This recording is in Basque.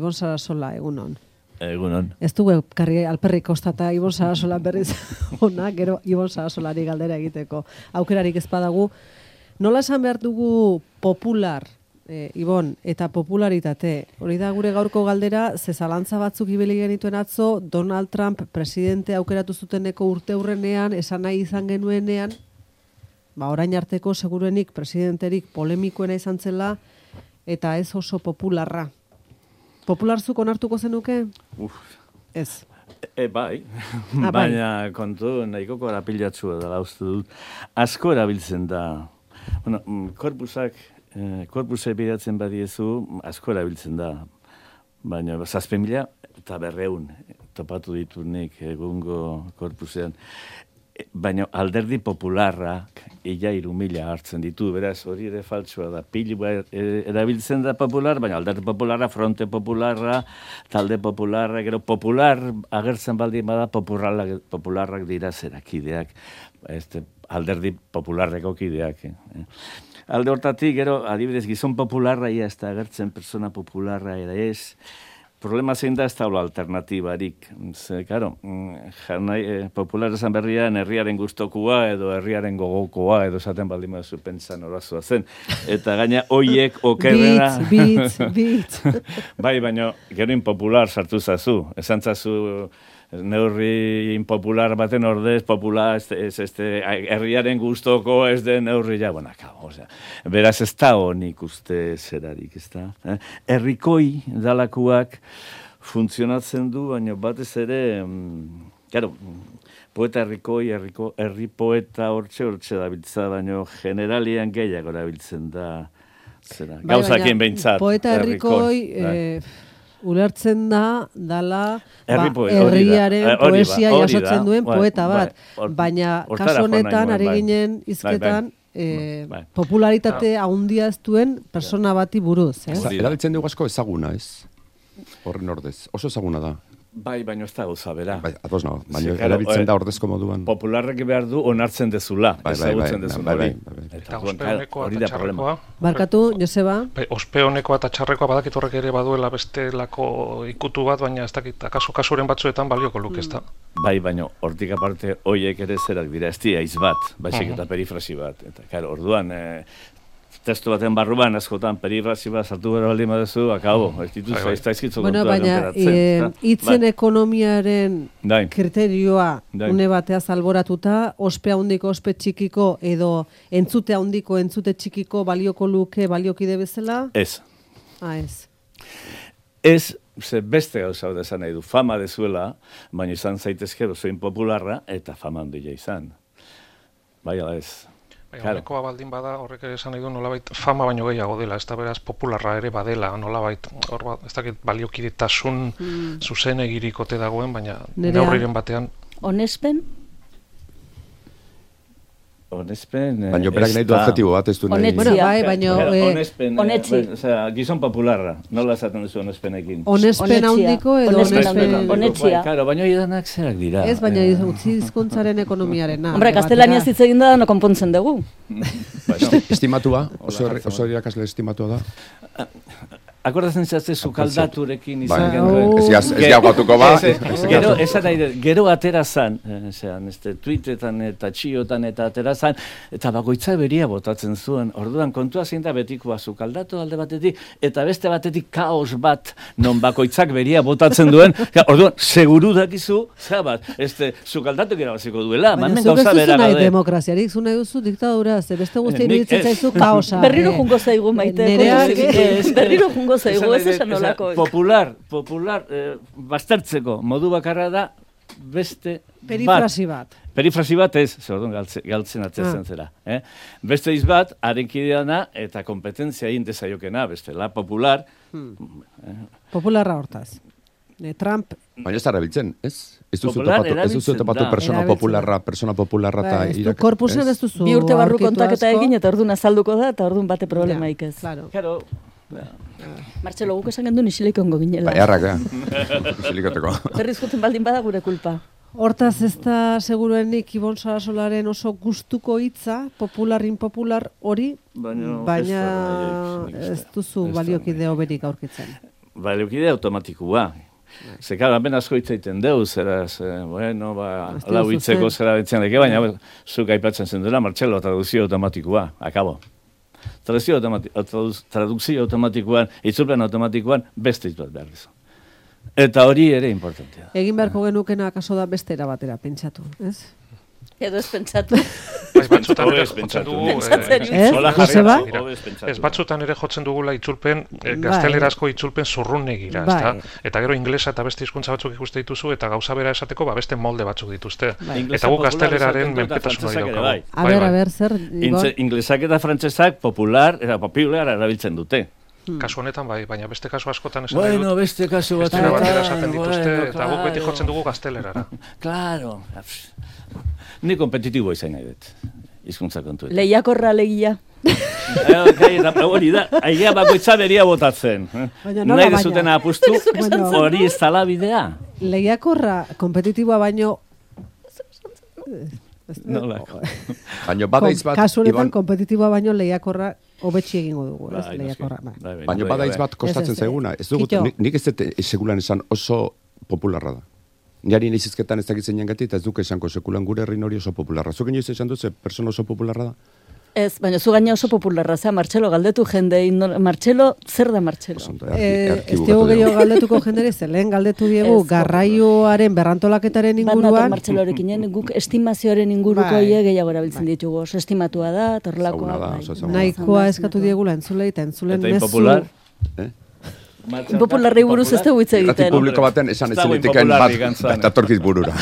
Ibon Sarasola, egunon. Egunon. Ez dugu karri alperrik kostata Ibon Sarasola berriz ona, gero Ibon Sarasolari galdera egiteko. Aukerarik ez badagu. Nola esan behar dugu popular, Ibon, eta popularitate? Hori da gure gaurko galdera, ze zalantza batzuk ibili genituen atzo, Donald Trump presidente aukeratu zuteneko urte hurrenean, esan nahi izan genuenean, orain arteko seguruenik presidenterik polemikoena izan zela, eta ez oso popularra. Popularzuk onartuko zenuke? Ez. Bai, baina kontu nahiko korapilatsua dela uste dut. Asko erabiltzen da. Bueno, korpusek bidatzen badiezu, asko erabiltzen da. Baina 7.000 eta 500 topatu ditut nik egungo korpusean. Baina alderdi popularrak ia 3.000 hartzen ditu, beraz hori ere faltsua da. Pilu erabiltzen da popular, baina alderdi popularra, fronte popularra, talde popularra, gero popular agertzen baldin bada popularrak dira zerakideak, alderdi popularreko kideak. Alde hortatik, gero adibidez gizon popularra ia ez da agertzen, persona popularra ere ez. Problema zein da ez da alternatibarik. Karo, popular esan berrian herriaren guztokua edo herriaren gogokoa edo esaten baldin baduzu pentsan horazua zen. Eta gaina hoiek okerrera... Bitz. Bai, baina gero impopular sartu zazu. Esan zazu neurri impopular baten ordez, popular, herriaren guztoko ez den neurri ja, beraz ez da honik uste zerarik, ez da. Herrikoi dalakuak funtzionatzen du, baina batez ere, poeta herri poeta hortxe dabiltza, baina generalian gehiago dabiltzen da, gauzakien behintzat. Poeta herrikoi... Ulertzen dala herriaren poesia jasotzen duen poeta bat. Baina kasu honetan, ari ginen izketan, popularitate handia ez duen persona bati buruz. Erabiltzen dugu asko ezaguna, ez? Horren ordez. Oso ezaguna da. Bai, baina ez da gauza, bera. Bai, ados nago, baina erabiltzen da ordezko moduan. Popularrek behar du onartzen dezula, ezagutzen dezun hori. Eta ospeonekoa eta txarrekoa. Barkatu, Joseba? Ospeonekoa eta txarrekoa badakit horrek ere baduela bestelako ikutu bat, baina ez dakit, kasuren batzuetan balioko luke, ez da. Bai, baina hortik aparte hoiek ere zerak dira, ez dira bat, baizik eta perifrasi bat. Eta, orduan... testu baten barruan, askotan, perifrasi bat sartu gara baldin baduzu, akabo, ez dituzu, ez da izkitzu kontuan baina, hitzen ekonomiaren kriterioa une bateaz alboratuta, ospe handiko, ospe txikiko, edo entzute handiko, entzute txikiko balioko luke, baliokide bezala? Ez. Ez. Ez, beste gauza hau esan nahi du, fama dezuela, baina izan zaitezke oso impopularra, eta fama handia izan. Bai, ala ez. Honekoa baldin bada, horrek ere esan nahi du nolabait fama baino gehiago dela, ez da beraz popularra ere badela, nolabait, ez dakit baliokidetasun zuzenegirik ote dagoen, baina neurriren batean. Onespen? Onespen... Baina berak nahi du adjetibo bat, ez du nahi... Onetzi. Gizon popularra, nola esaten duzu onespenekin? Onespen handiko edo onespen... Onetzia. Baina idanak zerak dira. Ez, baina utzi hizkuntzaren ekonomiarena. Hombre, kastelania hitz egin da, no konpontzen dugu. Estimatua, oso irakasle estimatua da. Akordatzen zatze sukaldaturekin izan genuen. Ez gaugatuko ba. Gero atera zan, tweetetan eta txiotan eta atera zan, eta bakoitza beria botatzen zuen. Orduan, kontua zein da betikoa sukaldatu alde batetik, eta beste batetik kaos bat non bakoitzak beria botatzen duen. Orduan, seguru dakizu, sukaldatuk erabaziko duela. Baina zuk ez duzu nahi demokraziarik, zu nahi duzu diktadura, ze beste guztien iritzen zaizu kaosa. Berriro jungo zaigu maite. Berriro jungo zaigu, ez esan olakoek. Popular, baztertzeko modu bakarra da beste perifrasi bat. Perifrasi bat ez, galtzen atzezen zera. Beste iz bat, harenkideana eta kompetentzia egin dezaiokena, bestela, popular. Popularra hortaz. Trump... Baina ez da erabiltzen, ez? Ez duzu topatu persona popularra eta irak... Korpusen ez duzu... Bi urte barru kontaketa egin eta orduan azalduko da eta orduan bate problemaik ez. Claro. Martxelo, guk esan gendun isileikongo ginela. Erraka, isilikoteko. Berriz juten baldin bada gure kulpa. Hortaz ez da seguruenik Ibon Sarasolaren oso gustuko hitza, popular, impopular hori, baina ez duzu baliokide hoberik aurkitzen. leukide automatikoa. Zekara, ben asko hitzaiten deu, zeraz, bueno, lau hitzeko zera betzen deke, baina zuk aipatzen zen dela, Martxelo, traduzio automatikoa, akabo. Traduzio automatikoan, itzulpen automatikoan, beste hitz bat behar dizu. Eta hori ere importantea. Egin beharko genukena akaso da beste erabatera, pentsatu, ez? Edo ez pentsatu. Batzutan ere jotzen dugu... batzutan ere jotzen dugula itzulpen, gaztelerazko itzulpen zurrunegira, ezta? Eta gero inglesa eta beste hizkuntza batzuk ikuste dituzu, eta gauza bera esateko, beste molde batzuk dituzte. Eta guk gazteleraren menpetasuna daukagu. A ber, zer... Inglesak eta frantsesak popular erabiltzen dute. Kasu honetan bai, baina beste kasu askotan esan nahi dut. Bueno, beste kasu beste batera esaten dituzte, eta guk beti jotzen dugu gaztelerara. Claro. Ni kompetitibo izan nahi dut. Hizkuntza kontuetan. Lehiakorra legia. Hori da, aigea bakoitza beria botatzen. Nahi dezuten apustu, hori ez tala bidea. Lehiakorra kompetitiboa baino... Baina badaitz bat... Kasu honetan kompetitiboa baino lehiakorra hobetxi egingo dugu, ez? Lehiakorra. Baina badaitz bat kostatzen zaiguna. Nik ez dut segulan esan oso popularra da. Niari nizizketan ez dakitzen jangati, eta ez duke esanko sekulan gure herrin hori oso popularra. Zuk inoiz esan dut, persona oso popularra da? Ez, baina zu gaina oso popularra, Martxelo galdetu jendei, Martxelo, zer da Martxelo? Ez dugu gehiago galdetuko jendere, lehen galdetu diegu, garraioaren berrantolaketaren inguruan. Bat Martxelorekin, guk estimazioaren inguruko gehiago erabiltzen ditugu, oso estimatua da, torlakoa. Nahikoa eskatu diegula entzulei, eta entzulen mezu. Eta impopular? Impopularrei buruz ez dugu hitz egiten. Publiko baten esan ez zinetiken bat, eta torkiz burura.